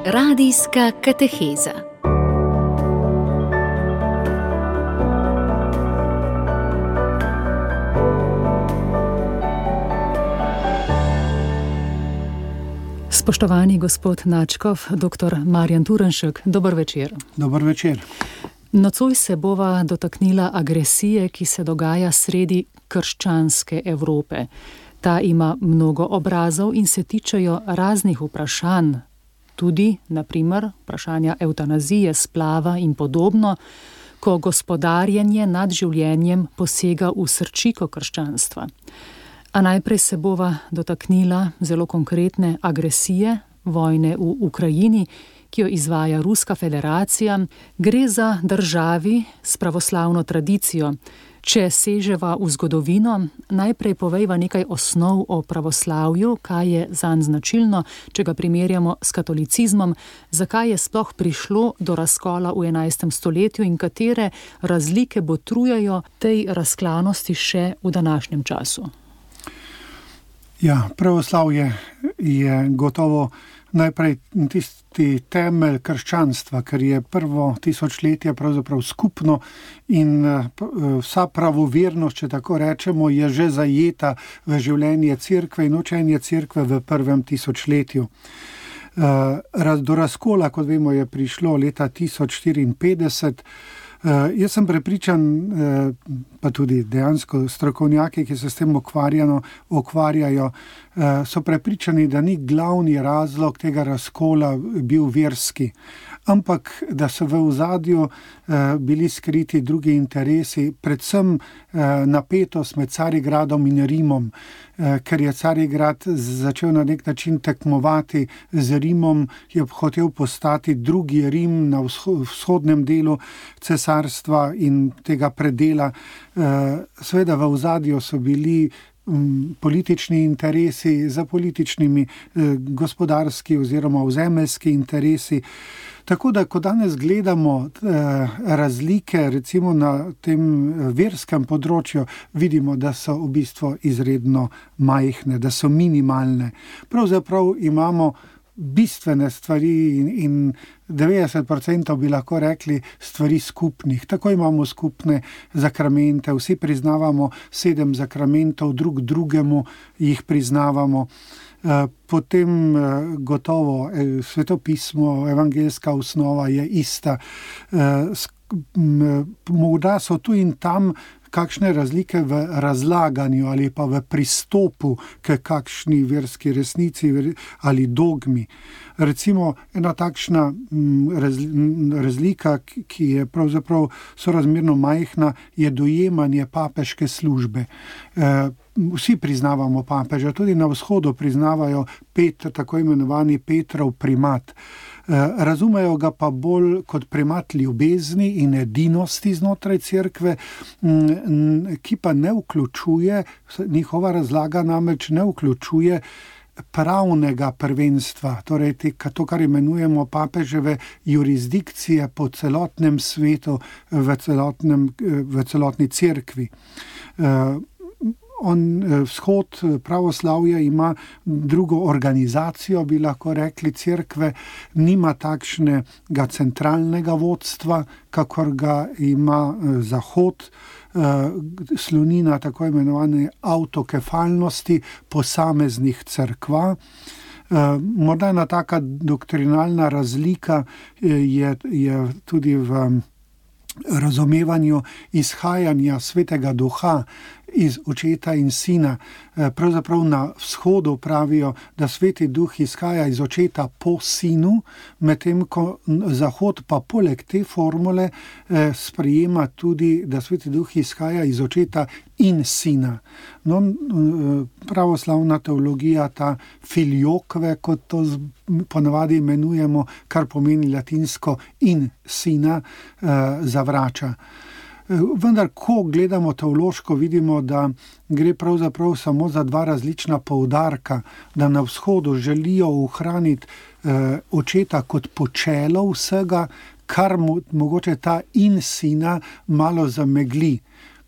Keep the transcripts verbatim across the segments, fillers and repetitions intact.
Radijska kateheza. Spoštovani gospod Načkov, doktor Marjan Turnšek, dober večer. Dober večer. Nocoj se bova dotaknila agresije, ki se dogaja sredi krščanske Evrope. Ta ima mnogo obrazov in se tičejo raznih vprašanj, tudi, na primer, vprašanja evtanazije, splava in podobno, ko gospodarjenje nad življenjem posega v srčiko krščanstva. A najprej se bova dotaknila zelo konkretne agresije, vojne v Ukrajini, ki jo izvaja Ruska federacija. Gre za državi s pravoslavno tradicijo. Če seževa v zgodovino, najprej povejva nekaj osnov o pravoslavju, kaj je zanj značilno, če ga primerjamo s katolicizmom, zakaj je sploh prišlo do razkola v enajstem stoletju in katere razlike botrujejo tej razklanosti še v današnjem času. Ja, pravoslavje je gotovo najprej tisti temelj krščanstva, ker je prvo tisočletje pravzaprav skupno in vsa pravovernost, če tako rečemo, je že zajeta v življenje cerkve in učenje cerkve v prvem tisočletju. Do razkola, kot vemo, je prišlo leta tisoč štiriinpetdeset. Jaz sem prepričan, pa tudi dejansko strokovnjaki, ki se s tem ukvarjajo, so prepričani, da ni glavni razlog tega razkola bil verski, ampak da so v ozadju bili skriti drugi interesi, predvsem napetost med Carigradom in Rimom, ker je Carigrad začel na nek način tekmovati z Rimom, je hotel postati drugi Rim na vzhodnem delu cesarstva in tega predela. Seveda v ozadju so bili politični interesi za političnimi, gospodarski oziroma ozemeljski interesi. Tako da, ko danes gledamo razlike recimo na tem verskem področju, vidimo, da so v bistvu izredno majhne, da so minimalne. Pravzaprav imamo bistvene stvari in, in devetdeset procentov bi lahko rekli stvari skupnih. Tako imamo skupne zakramente, vsi priznavamo sedem zakramentov, drug drugemu jih priznavamo. Potem gotovo svetopismo, evangeljska osnova je ista. Morda so tu in tam kakšne razlike v razlaganju ali pa v pristopu k kakšni verski resnici ali dogmi. Recimo ena takšna razlika, ki je pravzaprav sorazmerno majhna, je dojemanje papeške službe. Vsi priznavamo papeža, tudi na vzhodu priznavajo Petr, tako imenovani Petrov primat. Razumejo ga pa bolj kot primat ljubezni in edinosti znotraj cerkve, ki pa ne vključuje, njihova razlaga namreč ne vključuje pravnega prvenstva, torej to, kar imenujemo papeževe jurisdikcije po celotnem svetu, v, celotnem, v celotni cerkvi. On, vzhod pravoslavja ima drugo organizacijo, bi lahko rekli, cerkve, nima takšnega centralnega vodstva, kakor ga ima zahod, sloni na tako imenovane avtokefalnosti posameznih cerkva. Morda ena taka doktrinalna razlika je, je tudi v razumevanju izhajanja Svetega Duha iz Očeta in Sina. Pravzaprav na vzhodu pravijo, da Sveti Duh izhaja iz Očeta po Sinu, medtem ko Zahod pa poleg te formule sprejema tudi, da Sveti Duh izhaja iz Očeta in Sina. No, pravoslavna teologija, ta filioque, kot to ponavadi imenujemo, kar pomeni latinsko in Sina, zavrača. Vendar, ko gledamo teološko, vidimo, da gre pravzaprav samo za dva različna poudarka, da na vzhodu želijo ohraniti eh, Očeta kot počelo vsega, kar mo- mogoče ta in Sina malo zamegli.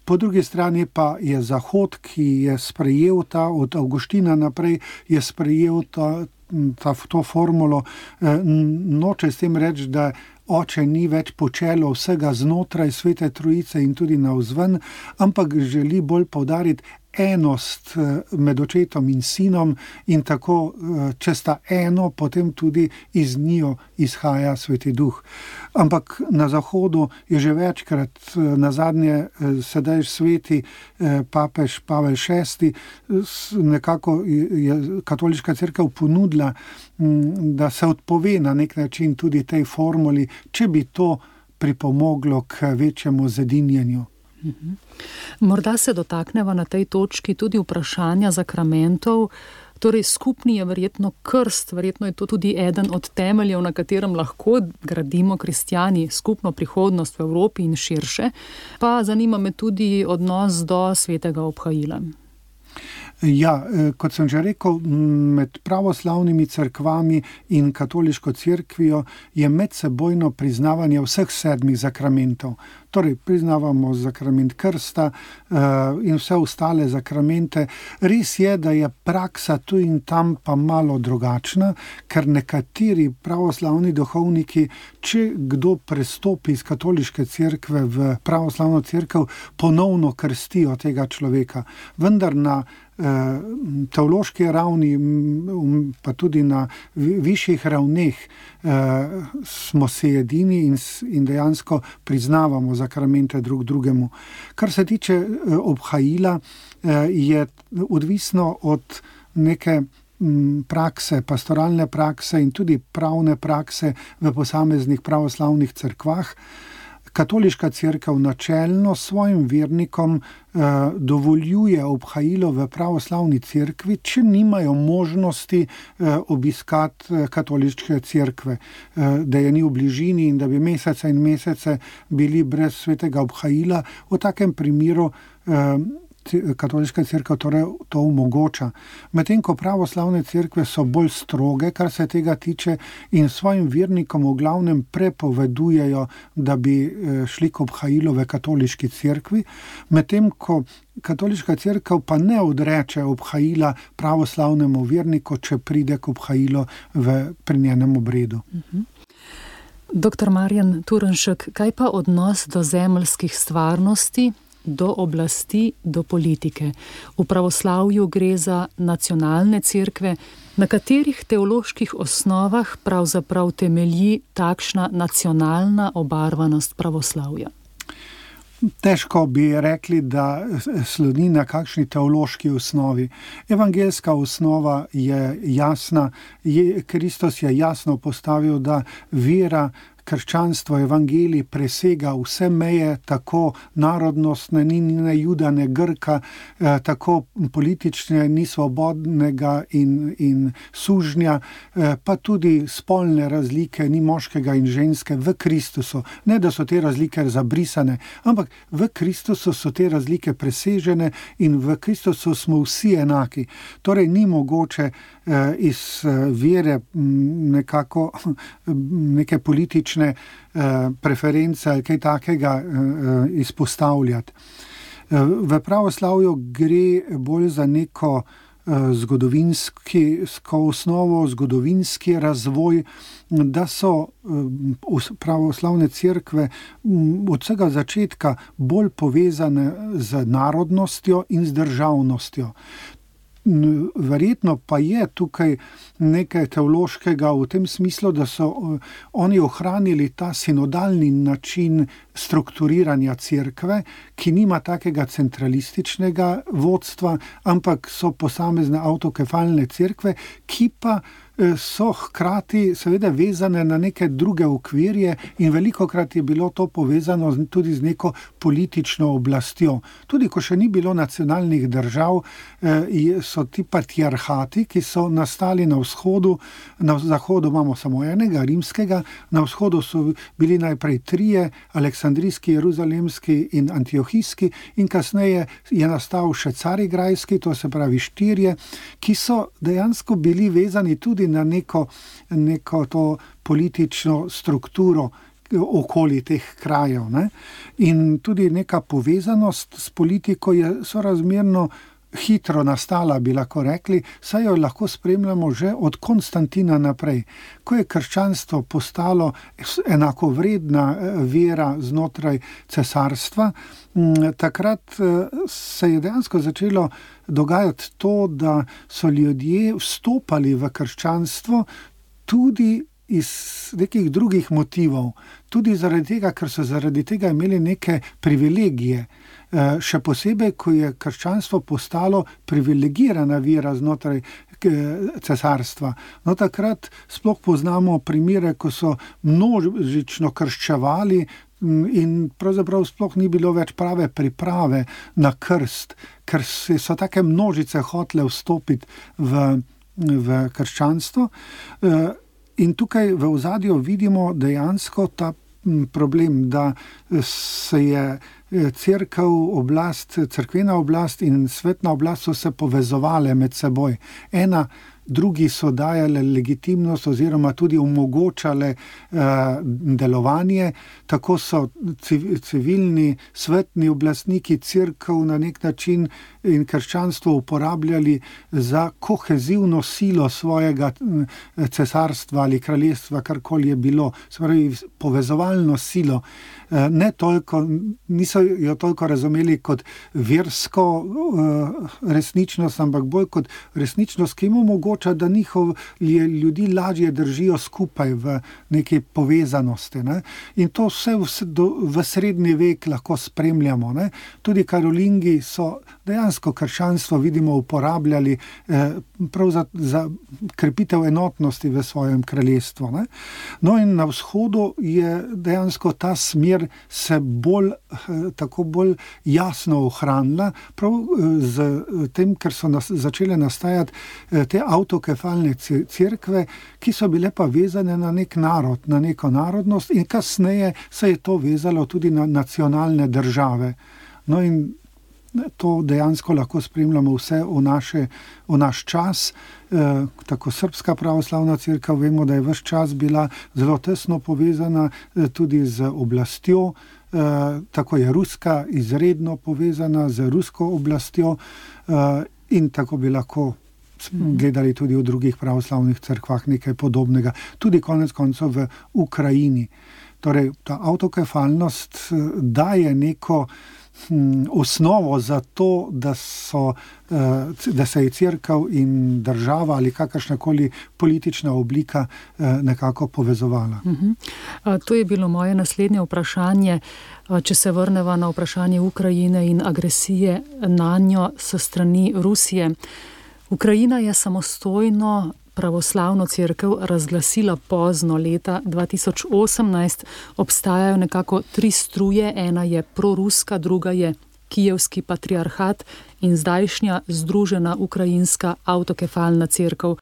Po drugi strani pa je Zahod, ki je sprejel ta, od Avguština naprej, je sprejel ta, ta, to formulo, noče s tem reči, da oče ni več počelo vsega znotraj Svete Trojice in tudi navzven, ampak želi bolj poudariti enost med očetom in sinom in tako, če sta eno, potem tudi iz njiju izhaja Sveti Duh. Ampak na Zahodu je že večkrat, nazadnje sedaj sveti papež Pavel šesti, nekako je katoliška cerkev ponudila, da se odpove na nek način tudi tej formuli, če bi to pripomoglo k večjemu zedinjenju. Morda se dotakneva na tej točki tudi vprašanja zakramentov. Torej, skupni je verjetno krst, verjetno je to tudi eden od temeljev, na katerem lahko gradimo kristjani skupno prihodnost v Evropi in širše. Pa zanima me tudi odnos do svetega obhajila. Ja, kot sem že rekel, med pravoslavnimi cerkvami in katoliško cerkvijo je medsebojno priznavanje vseh sedmih zakramentov. Torej, priznavamo zakrament krsta in vse ostale zakramente. Res je, da je praksa tu in tam pa malo drugačna, ker nekateri pravoslavni duhovniki, če kdo prestopi iz katoliške cerkve v pravoslavno cerkev, ponovno krstijo tega človeka. Vendar na teološki ravni, pa tudi na višjih ravneh smo se edini in, in dejansko priznavamo zakramente drug drugemu. Kar se tiče obhajila, je odvisno od neke prakse, pastoralne prakse in tudi pravne prakse v posameznih pravoslavnih cerkvah. Katoliška cerkev načelno svojim vernikom eh, dovoljuje obhajilo v pravoslavni cerkvi, če nimajo možnosti eh, obiskati eh, katoliške cerkve, eh, da je ni v bližini in da bi mesece in mesece bili brez svetega obhajila. V takem primeru eh, katoliška cerkev torej to omogoča. Medtem ko pravoslavne cerkve so bolj stroge, kar se tega tiče, in svojim vernikom v glavnem prepovedujejo, da bi šli k obhajilu v katoliški cerkvi, medtem ko katoliška cerkev pa ne odreče obhajila pravoslavnemu verniku, če pride k obhajilu v pri njenem obredu. Mhm. Doktor Marjan Turnšek, kaj pa odnos do zemeljskih stvarnosti, do oblasti, do politike? V pravoslavju gre za nacionalne cerkve. Na katerih teoloških osnovah pravzaprav temelji takšna nacionalna obarvanost pravoslavja? Težko bi rekli, da sloni na kakšni teološki osnovi. Evangeljska osnova je jasna. Je, Kristus je jasno postavil, da vera, krščanstvo, evangelij presega vse meje, tako narodnostne, ni ne Juda, ne Grka, eh, tako politične, ni svobodnega in, in sužnja, eh, pa tudi spolne razlike, ni moškega in ženske v Kristusu. Ne, da so te razlike zabrisane, ampak v Kristusu so te razlike presežene in v Kristusu smo vsi enaki. Torej ni mogoče eh, iz eh, vere m, nekako neke politične preference ali kaj takega izpostavljati. V pravoslavju gre bolj za neko zgodovinsko osnovo, zgodovinski razvoj, da so pravoslavne cerkve od vsega začetka bolj povezane z narodnostjo in z državnostjo. Verjetno pa je tukaj nekaj teološkega v tem smislu, da so oni ohranili ta sinodalni način strukturiranja cerkve, ki nima takega centralističnega vodstva, ampak so posamezne avtokefalne cerkve, ki pa so hkrati seveda vezane na neke druge okvirje in velikokrat je bilo to povezano tudi z neko politično oblastjo. Tudi ko še ni bilo nacionalnih držav, so ti patriarhati, ki so nastali na vzhodu, na zahodu imamo samo enega, rimskega, na vzhodu so bili najprej trije, aleksandrijski, jeruzalemski in antiohijski, in kasneje je nastal še carigrajski, to se pravi štirje, ki so dejansko bili vezani tudi na neko, neko to politično strukturo okoli teh krajev. Ne? In tudi neka povezanost s politiko je sorazmerno hitro nastala, bi lahko rekli, saj jo lahko spremljamo že od Konstantina naprej. Ko je krščanstvo postalo enakovredna vera znotraj cesarstva, takrat se je dejansko začelo dogajati to, da so ljudje vstopali v krščanstvo tudi iz nekih drugih motivov, tudi zaradi tega, ker so zaradi tega imeli neke privilegije. Še posebej, ko je krščanstvo postalo privilegirana vera znotraj cesarstva. No, takrat sploh poznamo primere, ko so množično krščevali in pravzaprav sploh ni bilo več prave priprave na krst, ker so take množice hotele vstopiti v, v krščanstvo. In tukaj v ozadju vidimo dejansko ta problem, da se je cerkev, oblast, cerkvena oblast in svetna oblast so se povezovale med seboj. Ena drugi so dajale legitimnost oziroma tudi omogočale eh, delovanje, tako so civilni, svetni oblastniki cerkev na nek način in krščanstvo uporabljali za kohezivno silo svojega cesarstva ali kraljestva, karkoli je bilo, se pravi povezovalno silo. Ne toliko, niso jo toliko razumeli kot versko uh, resničnost, ampak bolj kot resničnost, ki jim omogoča, da njihov ljudi lažje držijo skupaj v neki povezanosti. Ne? In to vse v, do, v srednji vek lahko spremljamo. Ne? Tudi Karolingi so dejansko krščanstvo, vidimo, uporabljali eh, prav za, za krepitev enotnosti v svojem kraljestvu. Ne? No in na vzhodu je dejansko ta smer se bolj, tako bolj jasno ohranila, prav z tem, ker so nas, začele nastajati te avtokefalne cerkve, ki so bile pa vezane na nek narod, na neko narodnost in kasneje se je to vezalo tudi na nacionalne države. No in to dejansko lahko spremljamo vse v, naše, v naš čas. E, tako Srpska pravoslavna cerkev, vemo, da je ves čas bila zelo tesno povezana e, tudi z oblastjo, e, tako je Ruska izredno povezana z rusko oblastjo e, in tako bi lahko gledali tudi v drugih pravoslavnih cerkvah nekaj podobnega, tudi konec koncev v Ukrajini. Torej, ta avtokefalnost daje neko osnovo za to, da, so, da se je cerkev in država ali kakršnakoli politična oblika nekako povezovala. Uh-huh. To je bilo moje naslednje vprašanje. Če se vrneva na vprašanje Ukrajine in agresije na njo s strani Rusije. Ukrajina je samostojno pravoslavno cerkev razglasila pozno leta dva tisoč osemnajst. Obstajajo nekako tri struje, ena je proruska, druga je kijevski patriarhat in zdajšnja združena ukrajinska avtokefalna cerkev.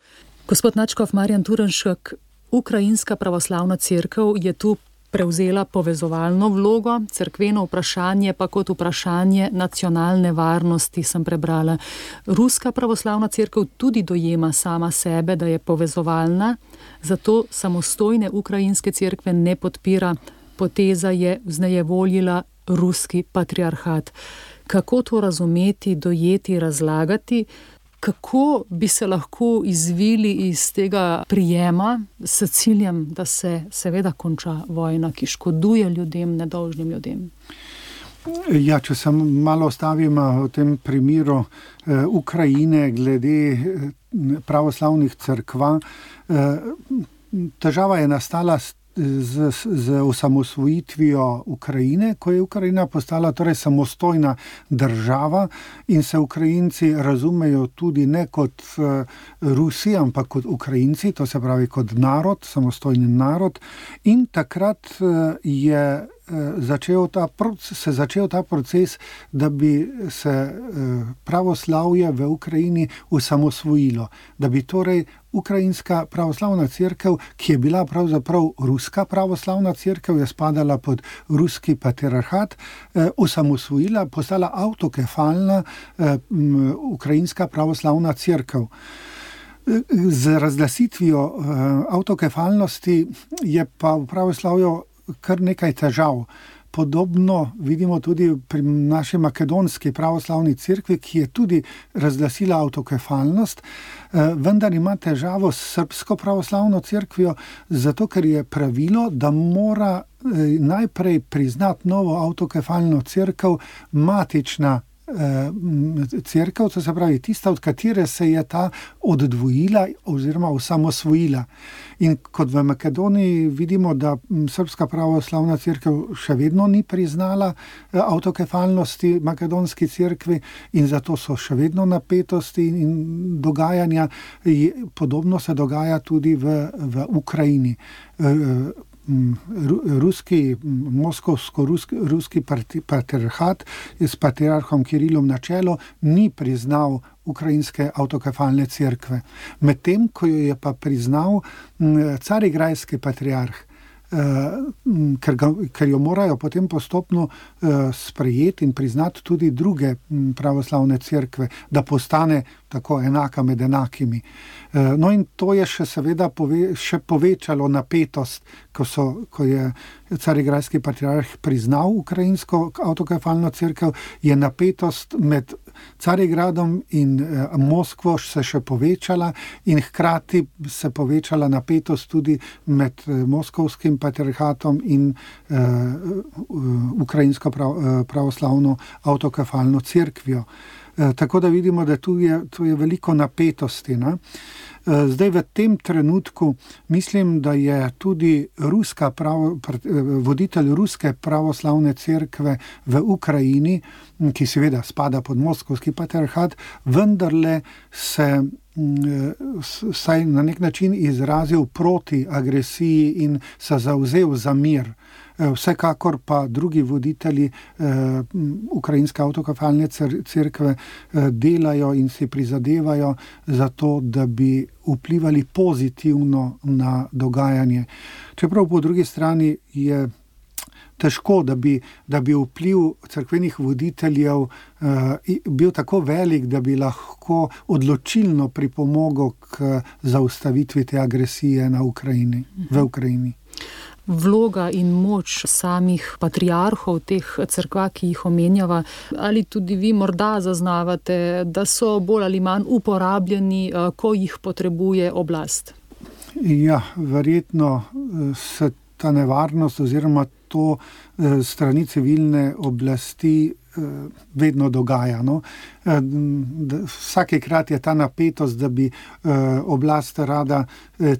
Gospod nadškof Marjan Turnšek, ukrajinska pravoslavna cerkev je tu prevzela povezovalno vlogo, cerkveno vprašanje pa kot vprašanje nacionalne varnosti, sem prebrala. Ruska pravoslavna cerkev tudi dojema sama sebe, da je povezovalna, zato samostojne ukrajinske cerkve ne podpira. Poteza je vznejevoljila ruski patriarhat. Kako to razumeti, dojeti, razlagati? Kako bi se lahko izvili iz tega prijema s ciljem, da se seveda konča vojna, ki škoduje ljudem, nedolžnim ljudem? Ja, če se malo ostavim v tem primeru eh, Ukrajine glede eh, pravoslavnih cerkva, eh, težava je nastala s Z, z osamosvojitvijo Ukrajine, ko je Ukrajina postala torej samostojna država in se Ukrajinci razumejo tudi ne kot uh, Rusi, ampak kot Ukrajinci, to se pravi kot narod, samostojni narod. In takrat uh, je Začel ta, se začel ta proces, da bi se pravoslavje v Ukrajini osamosvojilo. Da bi torej ukrajinska pravoslavna cerkev, ki je bila pravzaprav ruska pravoslavna cerkev, je spadala pod ruski patriarhat, osamosvojila, postala avtokefalna ukrajinska pravoslavna cerkev. Z razglasitvijo avtokefalnosti je pa v pravoslavju kar nekaj težav. podobno vidimo tudi pri naši makedonski pravoslavni cerkvi, ki je tudi razglasila avtokefalnost, vendar ima težavo s srbsko pravoslavno cerkvijo, zato ker je pravilo, da mora najprej priznati novo avtokefalno cerkev matična cerkev, to se pravi tista, od katere se je ta oddvojila oziroma osamosvojila. In kot v Makedoniji vidimo, da srbska pravoslavna cerkev še vedno ni priznala avtokefalnosti makedonski cerkvi in zato so še vedno napetosti in dogajanja. Podobno se dogaja tudi v, v Ukrajini. Ruski, moskovsko-ruski ruski patriarhat s patriarhom Kirilom na čelu ni priznal ukrajinske avtokefalne cerkve. Medtem, ko jo je pa priznal carigrajski patriarh, ker, ga, ker jo morajo potem postopno sprejeti in priznati tudi druge pravoslavne cerkve, da postane tako enaka med enakimi. No in to je še seveda pove, še povečalo napetost, ko, so, ko je carigrajski patriarh priznal ukrajinsko avtokefalno cerkev, je napetost med Carigradom in Moskvo se še povečala in hkrati se povečala napetost tudi med moskovskim patriarhatom in uh, ukrajinsko prav, pravoslavno avtokefalno cerkvijo. Tako da vidimo, da tu je, tu je veliko napetosti. Ne? Zdaj v tem trenutku mislim, da je tudi ruska pravo, voditelj ruske pravoslavne cerkve v Ukrajini, ki seveda spada pod moskovski patriarhat, vendarle se saj na nek način izrazil proti agresiji in se zavzel za mir. Vsekakor pa drugi voditelji eh, ukrajinske avtokefalne cerkve eh, delajo in si prizadevajo za to, da bi vplivali pozitivno na dogajanje. Čeprav po drugi strani je težko, da bi, da bi vpliv cerkvenih voditeljev eh, bil tako velik, da bi lahko odločilno pripomogel k zaustavitvi te agresije na Ukrajini, v Ukrajini. Vloga in moč samih patriarhov teh cerkva, ki jih omenjava, ali tudi vi morda zaznavate, da so bolj ali manj uporabljeni, ko jih potrebuje oblast? Ja, verjetno se ta nevarnost oziroma to strani civilne oblasti vedno dogaja. No? Vsakekrat je ta napetost, da bi oblast rada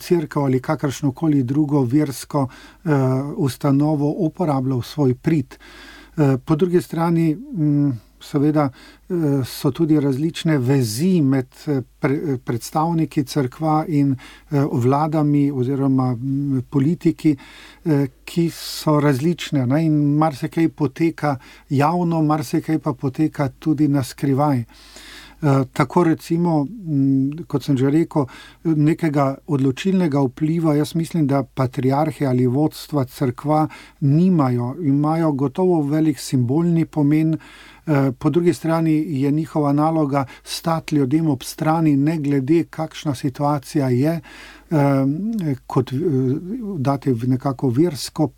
cerkev ali kakršnokoli drugo versko ustanovo uporabljal svoj prid. Po drugi strani seveda so tudi različne vezi med predstavniki cerkva in vladami oziroma politiki, ki so različne, ne? In marsikaj poteka javno, marsikaj pa poteka tudi na skrivaj. Tako recimo, kot sem že rekel, nekega odločilnega vpliva, jaz mislim, da patriarhi ali vodstva cerkva nimajo, imajo gotovo velik simbolni pomen, po drugi strani je njihova naloga stati ljudem ob strani, ne glede kakšna situacija je, kot dati nekako versko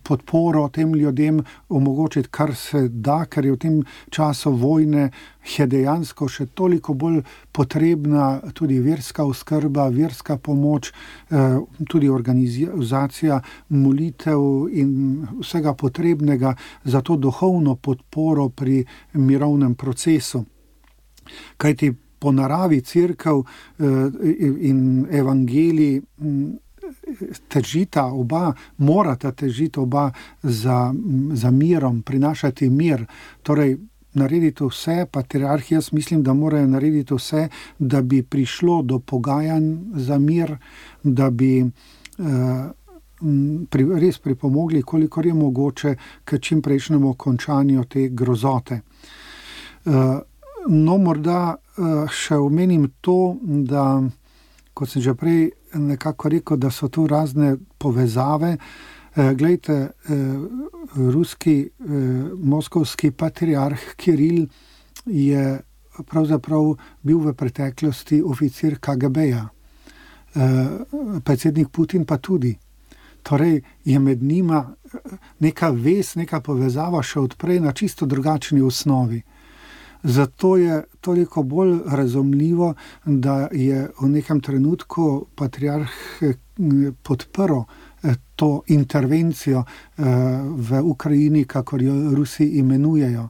podporo tem ljudem, omogočiti kar se da, ker je v tem času vojne je dejansko še toliko bolj potrebna tudi verska oskrba, verska pomoč, tudi organizacija molitev in vsega potrebnega za to duhovno podporo pri mirovnem procesu. Kajti po naravi cerkev in evangelij težita oba, morata težiti oba za, za mirom, prinašati mir. Torej, narediti vse, patriarhi, jaz mislim, da morajo narediti vse, da bi prišlo do pogajanj za mir, da bi eh, pri, res pripomogli, kolikor je mogoče, k čim prejšnjemu končanju te grozote. Eh, no, morda eh, še omenim to, da, kot sem že prej nekako rekel, da so tu razne povezave. Glejte, ruski, moskovski patriarh Kiril je pravzaprav bil v preteklosti oficir K G B-ja. Predsednik Putin pa tudi. Torej je med njima neka vez, neka povezava še odprej na čisto drugačni osnovi. Zato je toliko bolj razumljivo, da je v nekem trenutku patriarh podprl to intervencijo v Ukrajini, kakor jo Rusi imenujejo.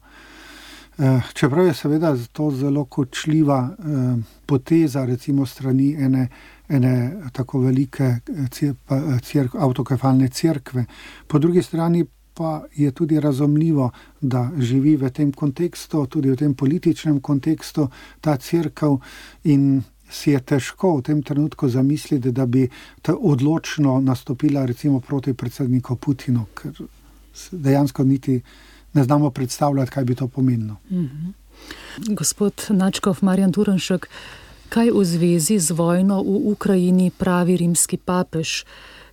Čeprav je seveda to zelo kočljiva poteza, recimo strani ene, ene tako velike crk, avtokefalne cerkve. Po drugi strani pa je tudi razumljivo, da živi v tem kontekstu, tudi v tem političnem kontekstu ta cerkev in si je težko v tem trenutku zamisliti, da bi ta odločno nastopila recimo proti predsedniku Putinu, ker dejansko niti ne znamo predstavljati, kaj bi to pomenilo. Mm-hmm. Gospod Načkov, Marjan Turnšek, kaj v zvezi z vojno v Ukrajini pravi rimski papež?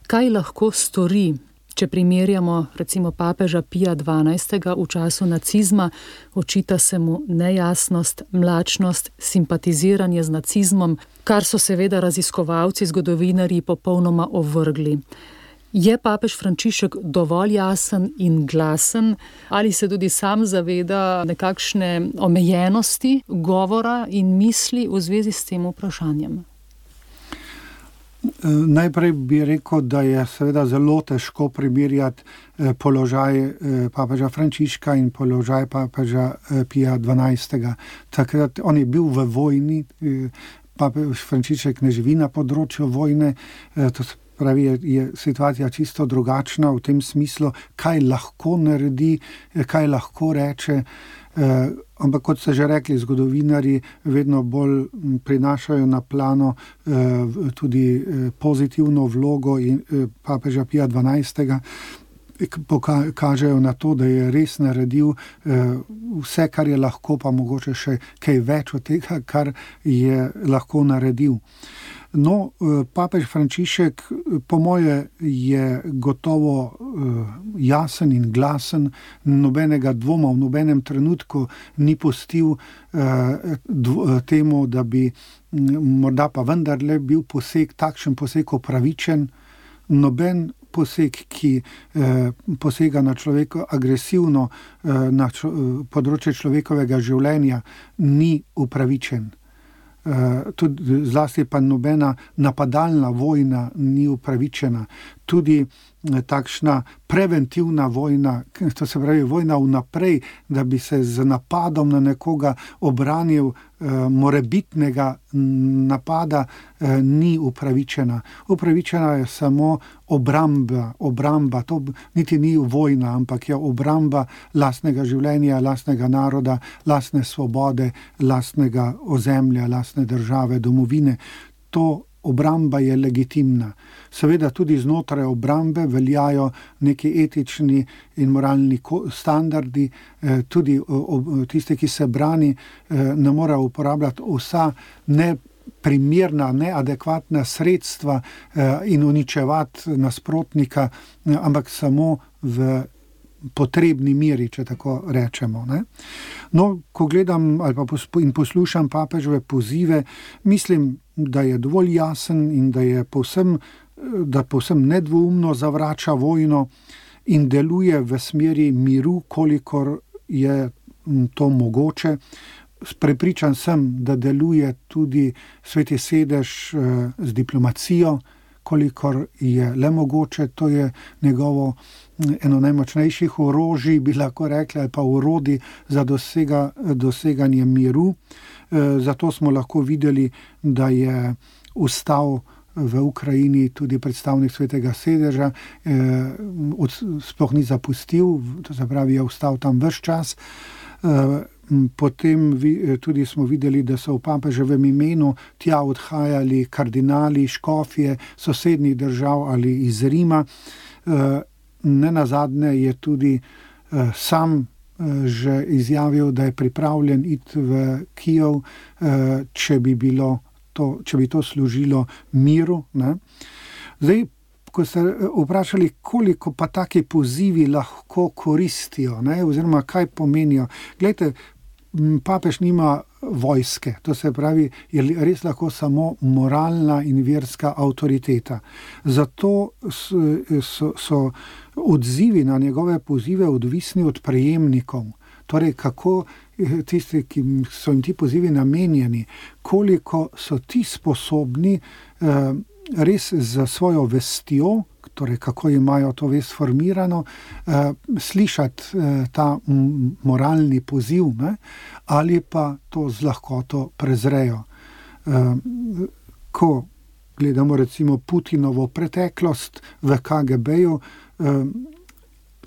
Kaj lahko stori, če primerjamo recimo papeža Pija dvanajstega v času nacizma? Očita se mu nejasnost, mlačnost, simpatiziranje z nacizmom, kar so seveda raziskovalci, zgodovinarji popolnoma ovrgli. Je papež Frančišek dovolj jasen in glasen, ali se tudi sam zaveda nekakšne omejenosti govora in misli v zvezi s tem vprašanjem? Najprej bi rekel, da je seveda zelo težko primerjati položaj papeža Frančiška in položaj papeža Pija dvanajstega. Takrat on je bil v vojni, papež Frančišek ne živi na področju vojne, to se pravi, je, je situacija čisto drugačna v tem smislu, kaj lahko naredi, kaj lahko reče. Eh, ampak kot ste že rekli, zgodovinarji vedno bolj prinašajo na plano eh, tudi eh, pozitivno vlogo in, eh, papeža Pija dvanajstega, poka- kažejo na to, da je res naredil eh, vse, kar je lahko, pa mogoče še kaj več od tega, kar je lahko naredil. No, papež Frančišek po moje je gotovo jasen in glasen, nobenega dvoma v nobenem trenutku ni pustil temu, da bi morda pa vendarle bil poseg, takšen poseg upravičen. Noben poseg, ki posega na človeka agresivno na področje človekovega življenja, ni upravičen. Uh, tudi zlasti pa nobena napadalna vojna ni upravičena. Tudi uh, takšna preventivna vojna, to se pravi vojna vnaprej, da bi se z napadom na nekoga obranil uh, morebitnega napada, uh, ni upravičena. Upravičena je samo obramba, obramba, to niti ni vojna, ampak je obramba lastnega življenja, lastnega naroda, lastne svobode, lastnega ozemlja, lastne države, domovine. To obramba je legitimna. Seveda tudi znotraj obrambe veljajo neki etični in moralni standardi, tudi tisti, ki se brani, ne mora uporabljati vsa neprimerna, neadekvatna sredstva in uničevati nasprotnika, ampak samo v potrebni meri, če tako rečemo. Ne? No, ko gledam ali pa in poslušam papežove pozive, mislim, da je dovolj jasen in da je povsem, da povsem nedvoumno zavrača vojno in deluje v smeri miru, kolikor je to mogoče. Prepričan sem, da deluje tudi Sveti sedež z diplomacijo, kolikor je le mogoče. To je njegovo eno najmočnejših orožij, bi lahko rekli, ali pa orodij za dosega, doseganje miru. Zato smo lahko videli, da je ustal v Ukrajini tudi predstavnik Svetega sedeža, sploh ni zapustil, to se pravi, je ustal tam ves čas. Potem tudi smo videli, da so v papeževem imenu tja odhajali kardinali, škofje sosednjih držav ali iz Rima. Nenazadnje je tudi sam že izjavil, da je pripravljen iti v Kijev, če bi bilo to, če bi to služilo miru. Ne? Zdaj, ko ste vprašali, koliko pa taki pozivi lahko koristijo, ne? Oziroma kaj pomenijo. Glejte, papež nima vojske. To se pravi, je res lahko samo moralna in verska avtoriteta. Zato so, so odzivi na njegove pozive odvisni od prejemnikov. Torej, kako tisti, ki so jim ti pozivi namenjeni, koliko so ti sposobni eh, res za svojo vestjo, torej kako imajo to vest formirano, eh, slišati eh, ta m, moralni poziv, ne, ali pa to z lahkoto prezrejo. Eh, ko gledamo recimo Putinovo preteklost v K G B-ju, eh,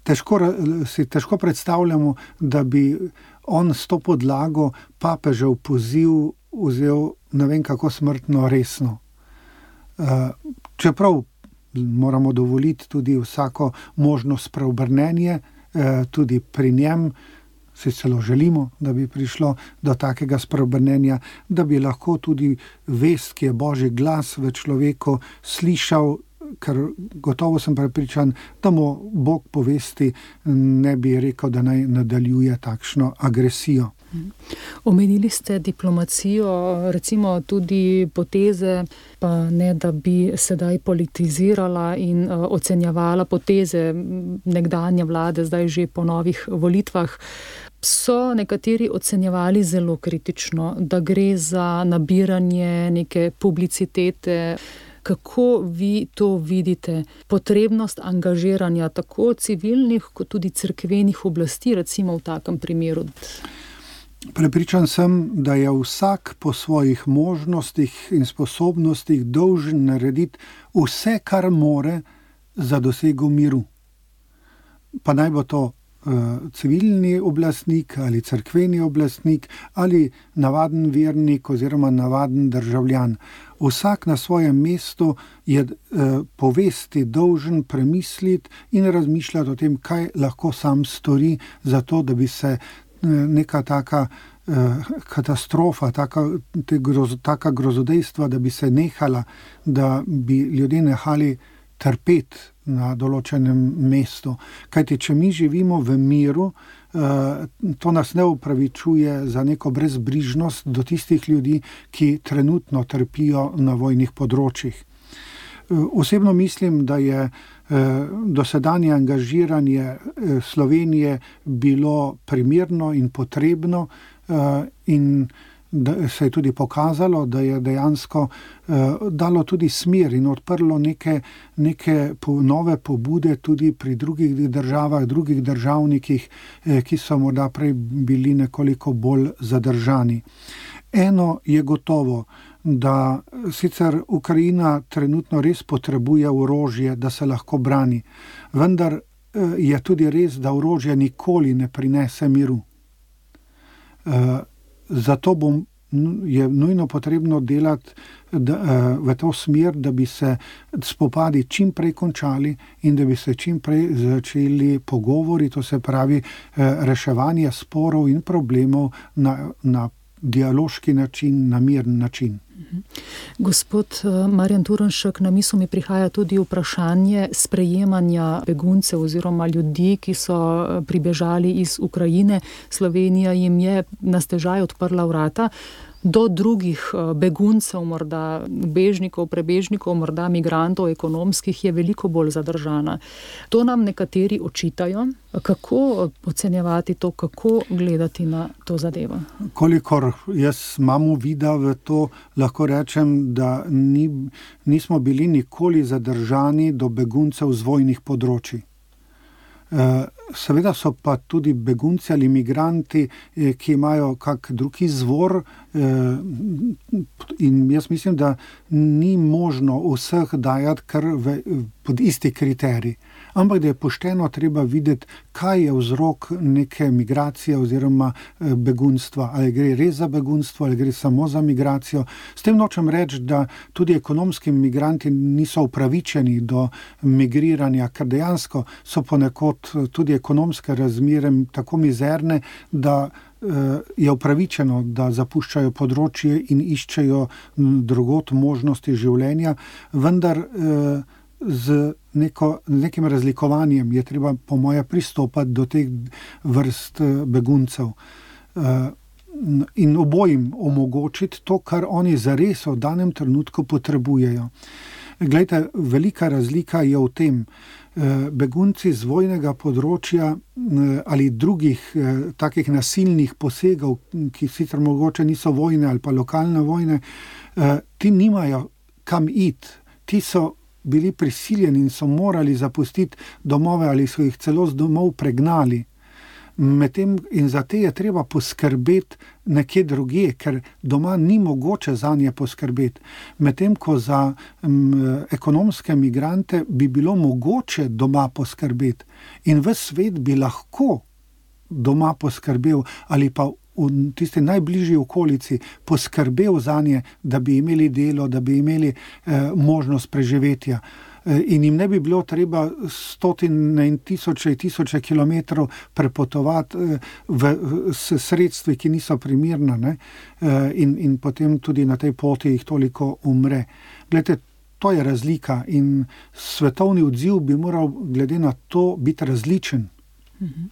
težko, si težko predstavljamo, da bi on s to podlago papežev poziv vzel ne vem kako smrtno resno. Eh, čeprav moramo dovoliti tudi vsako možnost preobrnenje, eh, tudi pri njem, si celo želimo, da bi prišlo do takega spreobrnenja, da bi lahko tudi vest, ki je Božji glas v človeku, slišal, ker gotovo sem prepričan, da mu Bog povesti ne bi rekel, da naj nadaljuje takšno agresijo. Omenili ste diplomacijo, recimo tudi poteze, pa ne da bi sedaj politizirala in uh, ocenjevala poteze nekdanje vlade, zdaj že po novih volitvah. So nekateri ocenjevali zelo kritično, da gre za nabiranje neke publicitete. Kako vi to vidite? Potrebnost angažiranja tako civilnih kot tudi cerkvenih oblasti, recimo v takem primeru? Prepričan sem, da je vsak po svojih možnostih in sposobnostih dolžen narediti vse, kar more za dosego miru. Pa naj bo to uh, civilni oblastnik ali cerkveni oblastnik ali navaden vernik oziroma navaden državljan. Vsak na svojem mestu je uh, povesti dolžen premisliti in razmišljati o tem, kaj lahko sam stori za to, da bi se neka taka eh, katastrofa, taka, te groz, taka grozodejstva, da bi se nehala, da bi ljudje nehali trpeti na določenem mestu. Kajti, če mi živimo v miru, eh, to nas ne upravičuje za neko brezbrižnost do tistih ljudi, ki trenutno trpijo na vojnih področjih. Osebno mislim, da je dosedanje angažiranje Slovenije bilo primerno in potrebno in da se je tudi pokazalo, da je dejansko dalo tudi smer in odprlo neke, neke nove pobude tudi pri drugih državah, drugih državnikih, ki so morda prej bili nekoliko bolj zadržani. Eno je gotovo, da sicer Ukrajina trenutno res potrebuje orožje, da se lahko brani, vendar je tudi res, da orožje nikoli ne prinese miru. Zato bom, je nujno potrebno delati da, v to smer, da bi se spopadi čim prej končali in da bi se čim prej začeli pogovori, to se pravi reševanje sporov in problemov na, na dialoški način, na miren način. Gospod Marjan Turnšek, na misel mi prihaja tudi vprašanje sprejemanja beguncev oziroma ljudi, ki so pribežali iz Ukrajine. Slovenija jim je na stežaj odprla vrata. Do drugih beguncev, morda bežnikov, prebežnikov, morda migrantov, ekonomskih, je veliko bolj zadržana. To nam nekateri očitajo. Kako ocenjevati to, kako gledati na to zadevo? Kolikor jaz imam uvida v to, lahko rečem, da ni, nismo bili nikoli zadržani do beguncev z vojnih področij. Seveda so pa tudi begunci ali migranti, ki imajo kak drug izvor, in jaz mislim, da ni možno vseh dajati kar v, pod isti kriterij. Ampak da je pošteno treba videti, kaj je vzrok neke migracije oziroma begunstva. Ali gre res za begunstvo, ali gre samo za migracijo. S tem nočem reči, da tudi ekonomski migranti niso upravičeni do migriranja, ker dejansko so ponekod tudi ekonomske razmere tako mizerne, da je upravičeno, da zapuščajo področje in iščejo drugot možnosti življenja, vendar z neko, nekim razlikovanjem je treba po moje pristopati do teh vrst beguncev. in obojim omogočiti to, kar oni zares v danem trenutku potrebujejo. Glejte, velika razlika je v tem, begunci z vojnega področja ali drugih takih nasilnih posegov, ki sicer mogoče niso vojne ali pa lokalne vojne, ti nimajo kam iti, ti so bili prisiljeni in so morali zapustiti domove ali so jih celo z domov pregnali. Medtem in za te je treba poskrbeti nekje drugje, ker doma ni mogoče zanje poskrbeti. Medtem ko za m, ekonomske migrante bi bilo mogoče doma poskrbeti in ves svet bi lahko doma poskrbel ali pa v tisti najbližji okolici poskrbel zanje, da bi imeli delo, da bi imeli eh, možnost preživetja. In jim ne bi bilo treba stotine in tisoče in tisoče kilometrov prepotovati v, s sredstvi, ki niso primirna, ne? In, in potem tudi na tej poti jih toliko umre. Glede, to je razlika in svetovni odziv bi moral glede na to biti različen. Mhm.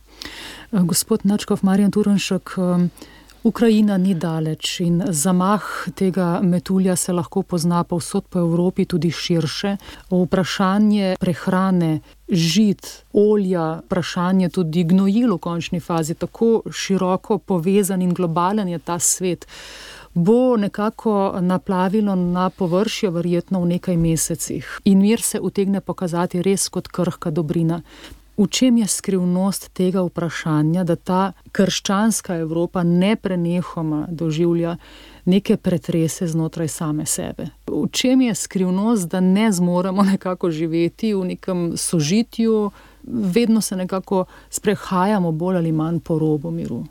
Gospod Načkov, Marjan Turnšek, Ukrajina ni daleč in zamah tega metulja se lahko pozna povsod po Evropi, tudi širše. Vprašanje prehrane, žit, olja, vprašanje tudi gnojil v končni fazi, tako široko povezan in globalen je ta svet, bo nekako naplavilo na površje verjetno v nekaj mesecih. In mir se utegne pokazati res kot krhka dobrina. V čem je skrivnost tega vprašanja, da ta krščanska Evropa neprenehoma doživlja neke pretrese znotraj same sebe? V čem je skrivnost, da ne zmoremo nekako živeti v nekem sožitju, vedno se nekako sprehajamo bolj ali manj po robu miru?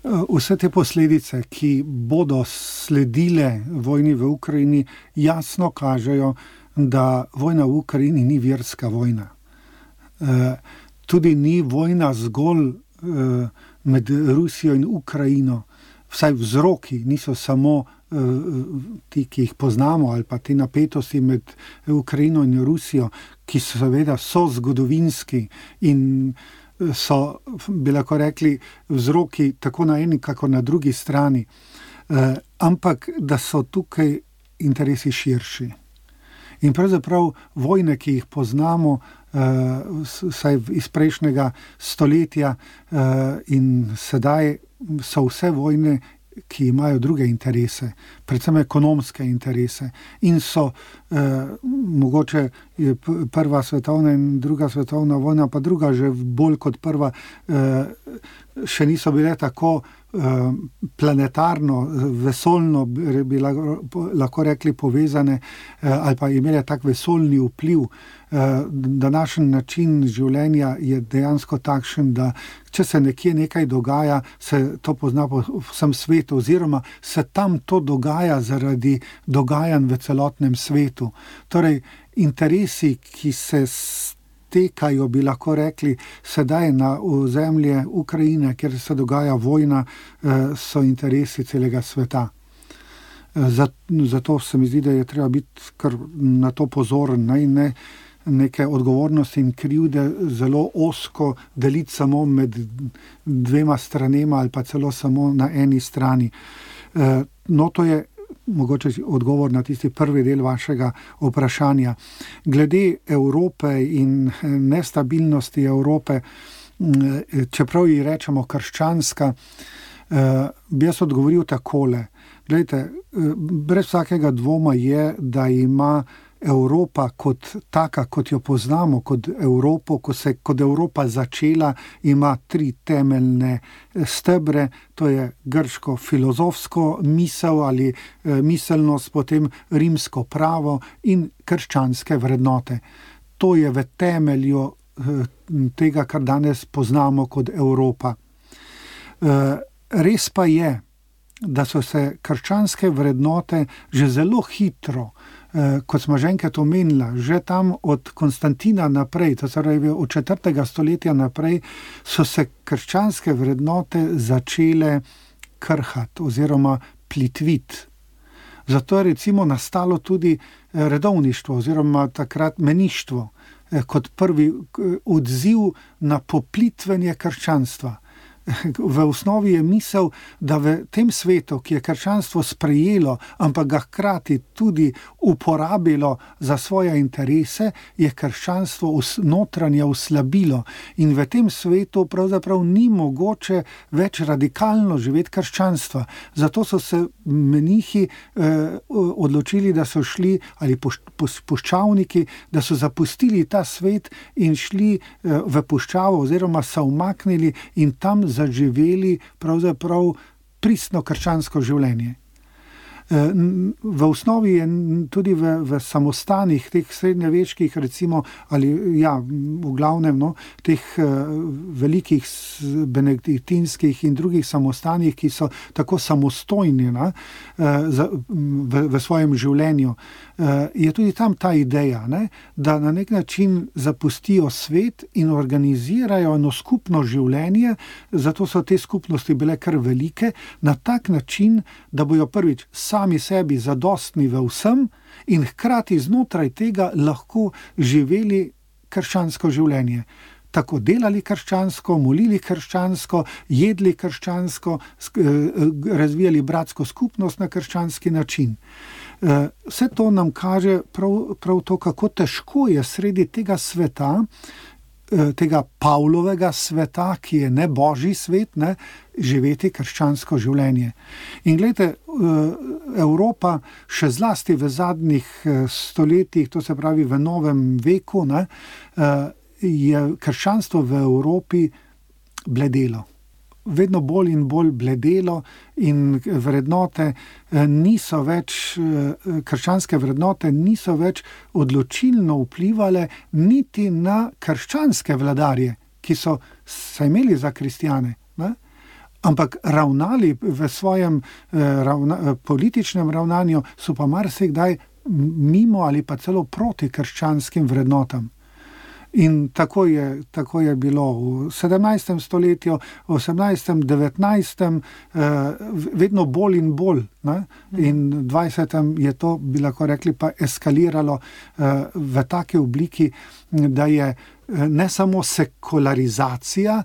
Vse te posledice, ki bodo sledile vojni v Ukrajini, jasno kažejo, da vojna v Ukrajini ni verska vojna. Tudi ni vojna zgolj med Rusijo in Ukrajino. Vsaj vzroki niso samo ti, ki jih poznamo, ali pa te napetosti med Ukrajino in Rusijo, ki so seveda so zgodovinski in so, bi lahko rekli, vzroki tako na eni, kako na drugi strani. Ampak, da so tukaj interesi širši. In pravzaprav vojne, ki jih poznamo, vsaj iz prejšnjega stoletja in sedaj so vse vojne, ki imajo druge interese, predvsem ekonomske interese. In so mogoče prva svetovna in druga svetovna vojna, pa druga že bolj kot prva, še niso bile tako planetarno, vesoljno bi lahko rekli povezane ali pa imele tak vesoljni vpliv. Današnji način življenja je dejansko takšen, da če se nekje nekaj dogaja, se to pozna po vsem svetu oziroma se tam to dogaja zaradi dogajanj v celotnem svetu. Torej, interesi, ki se tekajo, bi lahko rekli, sedaj na ozemlje Ukrajine, kjer se dogaja vojna, so interesi celega sveta. Zato se mi zdi, da je treba biti kar na to pozoren, ne, ne neke odgovornosti in krivde zelo ozko deliti samo med dvema stranema ali pa celo samo na eni strani. No, to je mogoče odgovor na tisti prvi del vašega vprašanja. Glede Evrope in nestabilnosti Evrope, čeprav ji rečemo krščanska, bi jaz odgovoril takole. Glejte, brez vsakega dvoma je, da ima Evropa kot taka, kot jo poznamo, kot Evropo, ko se kot Evropa začela, ima tri temeljne stebre, to je grško filozofsko misel ali miselnost, potem rimsko pravo in krščanske vrednote. To je v temelju tega, kar danes poznamo kot Evropa. Res pa je, da so se krščanske vrednote že zelo hitro, kot smo že enkrat omenila, že tam od Konstantina naprej, to se pravi od četrtega stoletja naprej, so se krščanske vrednote začele krhati oziroma plitviti. Zato je recimo nastalo tudi redovništvo oziroma takrat meništvo kot prvi odziv na poplitvenje krščanstva. v osnovi je misel, da v tem svetu, ki je krščanstvo sprejelo, ampak ga hkrati tudi uporabilo za svoje interese, je krščanstvo notranje oslabilo. In v tem svetu pravzaprav ni mogoče več radikalno živeti krščanstva. Zato so se menihi eh, odločili, da so šli, ali poš, poš, puščavniki, da so zapustili ta svet in šli eh, v puščavo oziroma se umaknili in tam zaživeli pravzaprav pristno krščansko življenje. V osnovi je tudi v, v samostanih, teh srednjeveških, recimo, ali ja, v glavnem, no, teh velikih benediktinskih in drugih samostanih, ki so tako samostojni, ne, v, v svojem življenju, je tudi tam ta ideja, ne, da na nek način zapustijo svet in organizirajo eno skupno življenje, zato so te skupnosti bile kar velike, na tak način, da bojo prvič sami sebi zadostni v vsem in hkrati znotraj tega lahko živeli krščansko življenje. Tako delali krščansko, molili krščansko, jedli krščansko, razvijali bratsko skupnost na krščanski način. Vse to nam kaže prav, prav to, kako težko je sredi tega sveta, tega Pavlovega sveta, ki je ne božji svet, ne, živeti krščansko življenje. In glejte, Evropa še zlasti v zadnjih stoletjih, to se pravi v novem veku, ne, je krščanstvo v Evropi bledelo. Vedno bolj in bolj bledelo in vrednote niso več, krščanske vrednote niso več odločilno vplivale niti na krščanske vladarje, ki so se imeli za kristjane, ne? Ampak ravnali v svojem ravna, političnem ravnanju so pa marsikdaj mimo ali pa celo proti krščanskim vrednotam. In tako je, tako je bilo v sedemnajstem stoletju, v osemnajstem, devetnajstem, vedno bolj in bolj. Ne? In v dvajsetem je to, bi lahko rekli, pa eskaliralo v take obliki, da je ne samo sekularizacija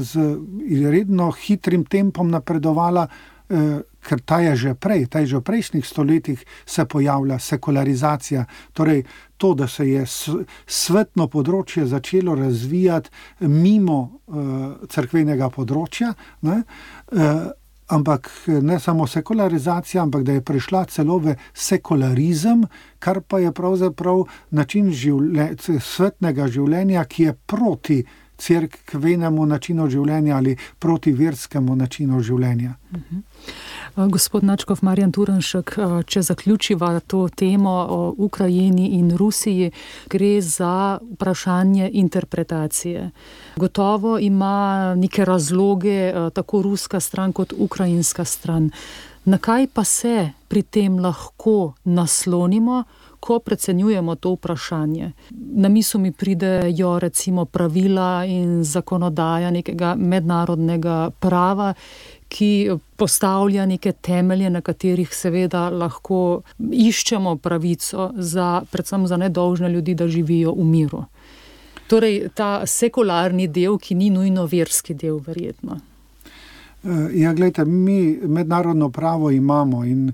z redno hitrim tempom napredovala, ker ta je že prej, ta je že v prejšnjih stoletjih se pojavlja sekularizacija, torej to, da se je svetno področje začelo razvijati mimo uh, cerkvenega področja, ne? Uh, ampak ne samo sekularizacija, ampak da je prišla celo v sekularizem, kar pa je pravzaprav način življe, svetnega življenja, ki je proti cerkvenemu načinu življenja ali proti verskemu načinu življenja. Uh-huh. Gospod Nadškof Marjan Turnšek, če zaključiva to temo o Ukrajini in Rusiji, gre za vprašanje interpretacije. Gotovo ima neke razloge tako ruska stran kot ukrajinska stran. Na kaj pa se pri tem lahko naslonimo, ko precenjujemo to vprašanje? Na misel mi pridejo recimo pravila in zakonodaja nekega mednarodnega prava, ki postavlja neke temelje, na katerih seveda lahko iščemo pravico za, predvsem za nedolžne ljudi, da živijo v miru. Torej, ta sekularni del, ki ni nujno verski del, verjetno. Ja, gledajte, mi mednarodno pravo imamo in eh,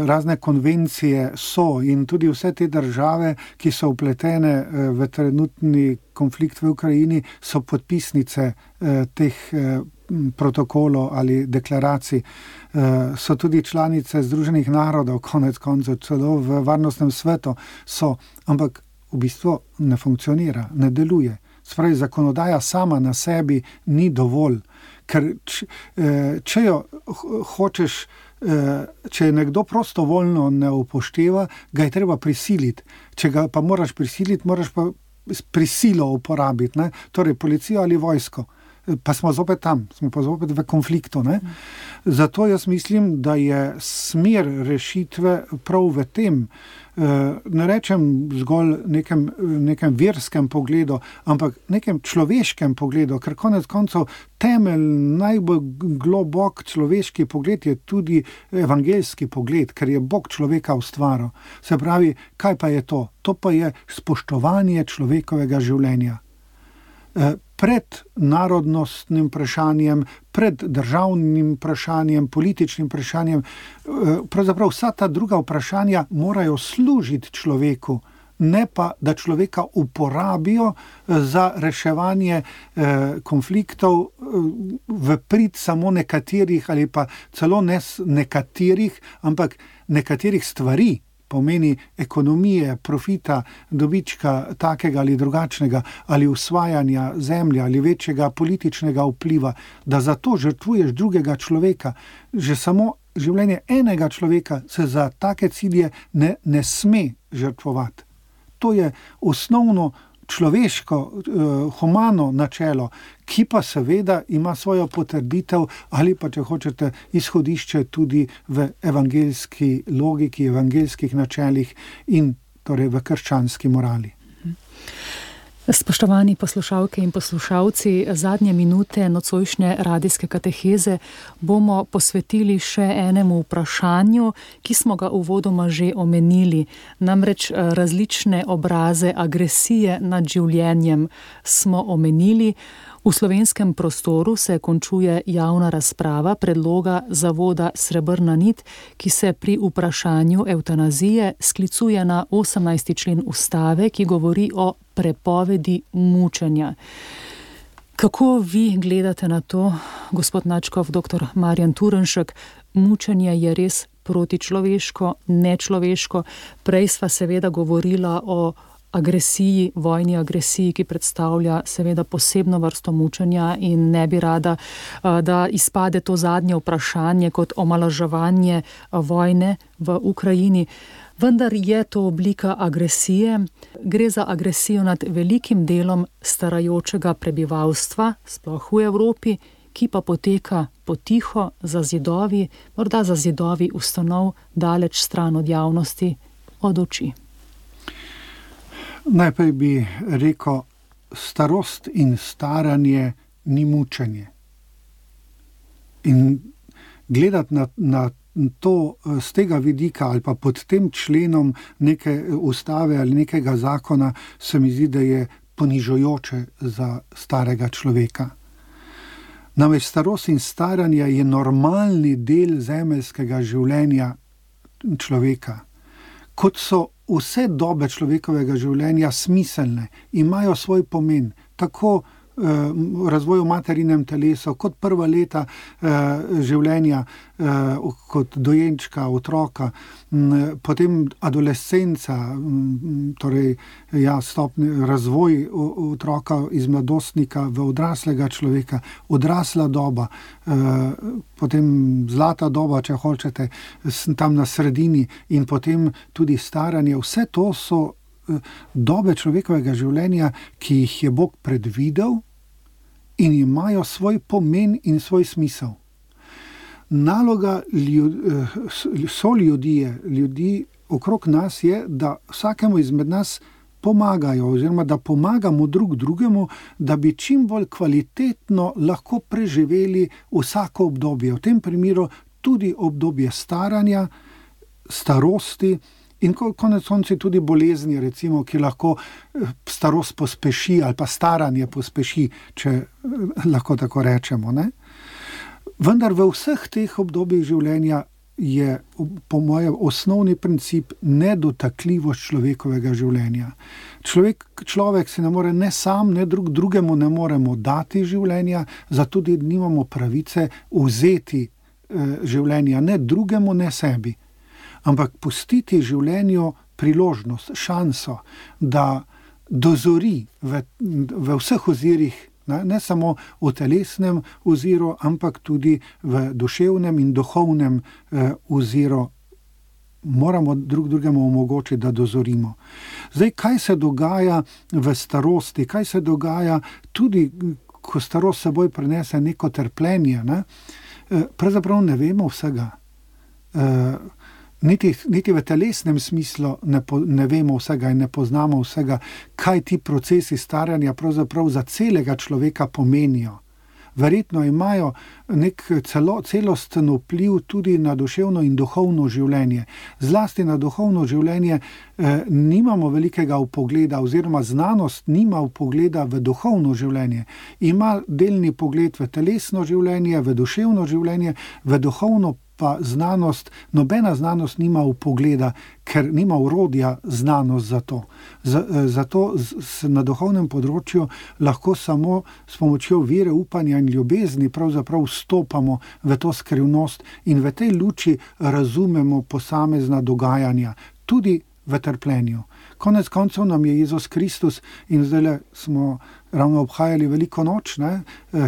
razne konvencije so in tudi vse te države, ki so vpletene eh, v trenutni konflikt v Ukrajini, so podpisnice eh, teh eh, protokolov ali deklaracij. Eh, so tudi članice Združenih narodov, konec koncev, celo v varnostnem svetu so, ampak v bistvu ne funkcionira, ne deluje. Spravi, zakonodaja sama na sebi ni dovolj. Ker če jo hočeš, če je nekdo prostovoljno ne upošteva, ga je treba prisiliti. Če ga pa moraš prisiliti, moraš pa prisilo uporabiti, ne? Torej policijo ali vojsko. Pa smo zopet tam, smo pa zopet v konfliktu. Ne? Zato jaz mislim, da je smer rešitve prav v tem, ne rečem zgolj nekem, nekem verskem pogledu, ampak nekem človeškem pogledu, ker konec koncev temelj, najbolj globok človeški pogled je tudi evangeljski pogled, ker je Bog človeka ustvaril. Se pravi, kaj pa je to? To pa je spoštovanje človekovega življenja. pred narodnostnim vprašanjem, pred državnim vprašanjem, političnim vprašanjem. Pravzaprav vsa ta druga vprašanja morajo služiti človeku, ne pa, da človeka uporabijo za reševanje konfliktov v prid samo nekaterih ali pa celo ne nekaterih, ampak nekaterih stvari, pomeni ekonomije, profita, dobička takega ali drugačnega, ali usvajanja zemlje ali večjega političnega vpliva, da zato žrtvuješ drugega človeka. Že samo življenje enega človeka se za take cilje ne, ne sme žrtvovati. To je osnovno človeško, eh, humano načelo, ki pa seveda ima svojo potrditev ali pa, če hočete, izhodišče tudi v evangeljski logiki, evangeljskih načelih in torej v krščanski morali. Spoštovani poslušalke in poslušalci, zadnje minute nocojšnje radijske kateheze bomo posvetili še enemu vprašanju, ki smo ga uvodoma že omenili. Namreč različne obraze agresije nad življenjem smo omenili. V slovenskem prostoru se končuje javna razprava predloga zavoda Srebrna nit, ki se pri vprašanju evtanazije sklicuje na osemnajsti člen ustave, ki govori o prepovedi mučenja. Kako vi gledate na to, gospod Nadškof, doktor Marjan Turnšek? Mučenje je res protičloveško, nečloveško. Prej sva seveda govorila o agresiji, vojni agresiji, ki predstavlja seveda posebno vrsto mučenja in ne bi rada, da izpade to zadnje vprašanje kot omalovaževanje vojne v Ukrajini. Vendar je to oblika agresije. Gre za agresijo nad velikim delom starajočega prebivalstva, sploh v Evropi, ki pa poteka potiho za zidovi, morda za zidovi ustanov, daleč stran od javnosti, od oči. Najprej bi rekel, starost in staranje ni mučenje. In gledati na, na to z tega vidika ali pa pod tem členom neke ustave ali nekega zakona se mi zdi, da je ponižujoče za starega človeka. Namreč starost in staranje je normalni del zemeljskega življenja človeka. Kot so vse dobe človekovega življenja smiselne, imajo svoj pomen, tako v razvoju materinem telesu, kot prva leta življenja, kot dojenčka, otroka, potem adolescenca, torej ja, stopni razvoj otroka iz mladostnika v odraslega človeka, odrasla doba, potem zlata doba, če hočete, tam na sredini in potem tudi staranje. Vse to so dobe človekovega življenja, ki jih je Bog predvidel in imajo svoj pomen in svoj smisel. Naloga ljud, so ljudje, ljudi okrog nas je, da vsakemu izmed nas pomagajo oziroma da pomagamo drug drugemu, da bi čim bolj kvalitetno lahko preživeli vsako obdobje. V tem primeru tudi obdobje staranja, starosti, in konec konci tudi bolezni, recimo, ki lahko starost pospeši ali pa staranje pospeši, če lahko tako rečemo. Ne? Vendar v vseh teh obdobjih življenja je po mojem osnovni princip nedotakljivost človekovega življenja. Človek, človek si ne more ne sam, ne drug drugemu ne moremo dati življenja, zato tudi nimamo pravice vzeti eh, življenja ne drugemu, ne sebi. Ampak pustiti življenju priložnost, šanso, da dozori v, v vseh ozirih, ne, ne samo v telesnem oziru, ampak tudi v duševnem in duhovnem eh, oziru. Moramo drug drugemu omogočiti, da dozorimo. Zdaj, kaj se dogaja v starosti, kaj se dogaja tudi, ko starost seboj prinese neko trpljenje, ne? Eh, pravzaprav ne vemo vsega. Eh, Niti, niti v telesnem smislu ne, po, ne vemo vsega in ne poznamo vsega, kaj ti procesi staranja pravzaprav za celega človeka pomenijo. verjetno imajo nek celo, celosten vpliv tudi na duševno in duhovno življenje. Zlasti na duhovno življenje eh, nimamo velikega vpogleda, oziroma znanost nima vpogleda v duhovno življenje. Ima delni pogled v telesno življenje, v duševno življenje, v duhovno pa znanost, nobena znanost nima vpogleda, ker nima orodja znanost za to. Zato na duhovnem področju lahko samo s pomočjo vere, upanja in ljubezni pravzaprav vstopamo v to skrivnost in v tej luči razumemo posamezna dogajanja, tudi v trpljenju. Konec koncev nam je Jezus Kristus, in zdaj smo ravno obhajali veliko noč, ne,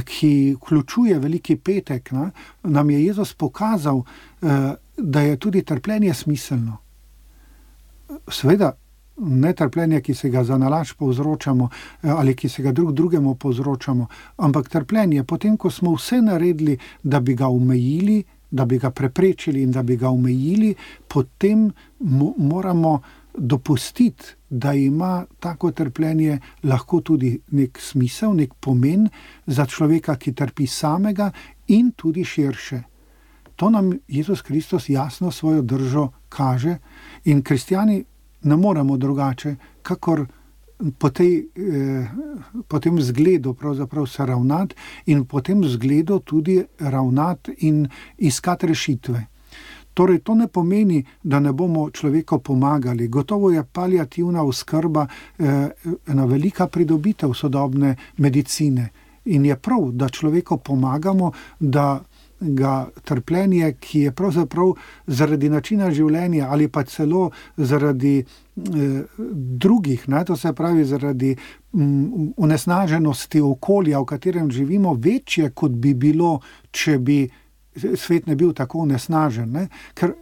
ki vključuje veliki petek, ne, nam je Jezus pokazal, da je tudi trpljenje smiselno. Seveda, ne trpljenje, ki se ga za nalašč povzročamo ali ki se ga drug drugemu povzročamo, ampak trpljenje, potem ko smo vse naredili, da bi ga omejili, da bi ga preprečili in da bi ga omejili, potem mo- moramo dopustiti, da ima tako trpljenje lahko tudi nek smisel, nek pomen za človeka, ki trpi samega in tudi širše. To nam Jezus Kristus jasno svojo držo kaže in kristjani ne moremo drugače, kakor po, tej, eh, po tem zgledu pravzaprav se ravnati in po tem zgledu tudi ravnati in iskati rešitve. Torej, to ne pomeni, da ne bomo človeku pomagali. Gotovo je paliativna oskrba eh, ena velika pridobitev sodobne medicine. In je prav, da človeku pomagamo, da ga trpljenje, ki je pravzaprav zaradi načina življenja ali pa celo zaradi eh, drugih, ne, to se pravi zaradi mm, onesnaženosti okolja, v katerem živimo, večje, kot bi bilo, če bi svet ne bil tako onesnažen, ne? Ker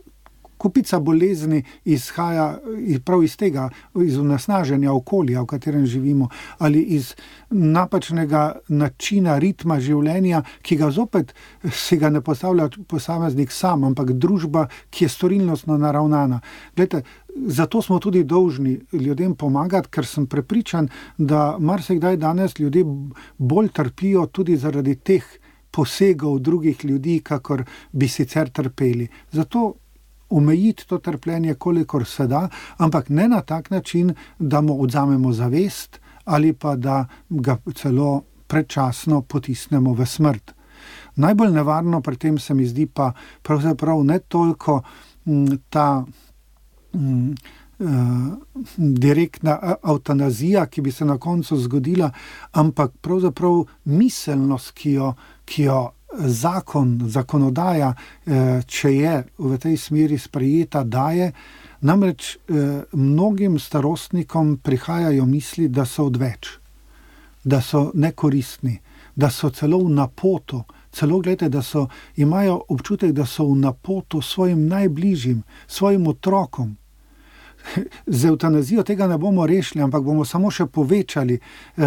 kupica bolezni izhaja prav iz tega, iz onesnaženja okolja, v katerem živimo, ali iz napačnega načina, ritma življenja, ki ga zopet si ga ne postavlja posameznik sam, ampak družba, ki je storilnostno naravnana. Glejte, zato smo tudi dolžni ljudem pomagati, ker sem prepričan, da marsikdaj danes ljudje bolj trpijo tudi zaradi teh posegov drugih ljudi, kakor bi sicer trpeli. Zato omejiti to trpljenje, kolikor se da, ampak ne na tak način, da mu odzamemo zavest ali pa da ga celo predčasno potisnemo v smrt. Najbolj nevarno pri tem se mi zdi pa pravzaprav ne toliko m, ta m, direktna eutanazija, ki bi se na koncu zgodila, ampak pravzaprav miselnost, ki jo, ki jo zakon, zakonodaja, če je v tej smeri sprejeta, daje. Namreč mnogim starostnikom prihajajo misli, da so odveč, da so nekoristni, da so celo v napoto, celo gledajte, da so, imajo občutek, da so v napoto svojim najbližjim, svojim otrokom. Z evtanazijo tega ne bomo rešili, ampak bomo samo še povečali eh,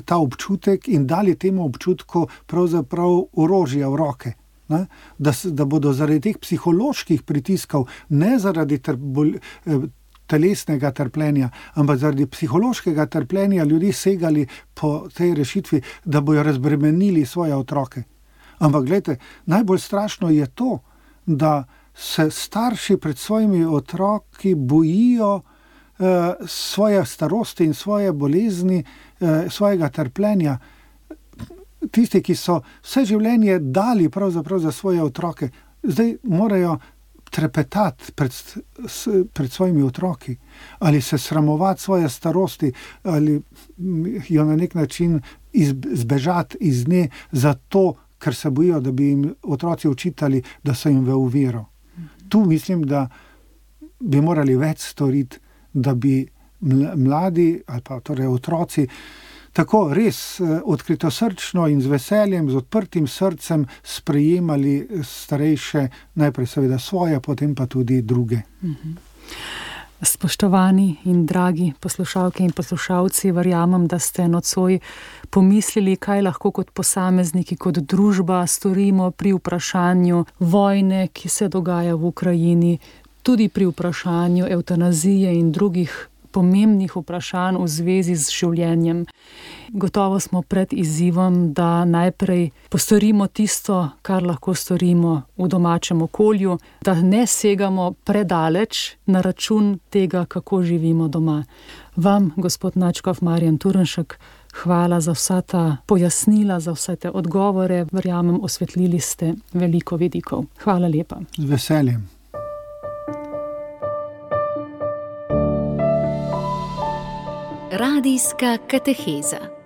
ta občutek in dali temu občutku pravzaprav orožje v roke. Ne? Da, da bodo zaradi teh psiholoških pritiskov, ne zaradi ter, bol, eh, telesnega trpljenja, ampak zaradi psihološkega trpljenja ljudi segali po tej rešitvi, da bojo razbremenili svoje otroke. Ampak gledajte, najbolj strašno je to, da se starši pred svojimi otroki bojijo eh, svoje starosti in svoje bolezni, eh, svojega trpljenja. Tisti, ki so vse življenje dali pravzaprav za svoje otroke, zdaj morajo trepetati pred, pred svojimi otroki ali se sramovati svoje starosti ali jo na nek način izbežati iz nje zato, ker se bojijo, da bi jim otroci učitali, da so jim v uviro. Tu mislim, da bi morali več storiti, da bi mladi ali pa torej otroci tako res odkritosrčno in z veseljem, z odprtim srcem sprejemali starejše, najprej seveda svoje, potem pa tudi druge. Spoštovani in dragi poslušalke in poslušalci, verjamem, da ste nocoj pomislili, kaj lahko kot posamezniki, kot družba storimo pri vprašanju vojne, ki se dogaja v Ukrajini, tudi pri vprašanju evtanazije in drugih pomembnih vprašanj v zvezi z življenjem. Gotovo smo pred izzivom, da najprej postorimo tisto, kar lahko storimo v domačem okolju, da ne segamo predaleč na račun tega, kako živimo doma. Vam, gospod nadškof Marjan Turnšek, hvala za vsa ta pojasnila, za vse te odgovore. Verjamem, osvetlili ste veliko vidikov. Hvala lepa. Z veseljem. Radijska kateheza.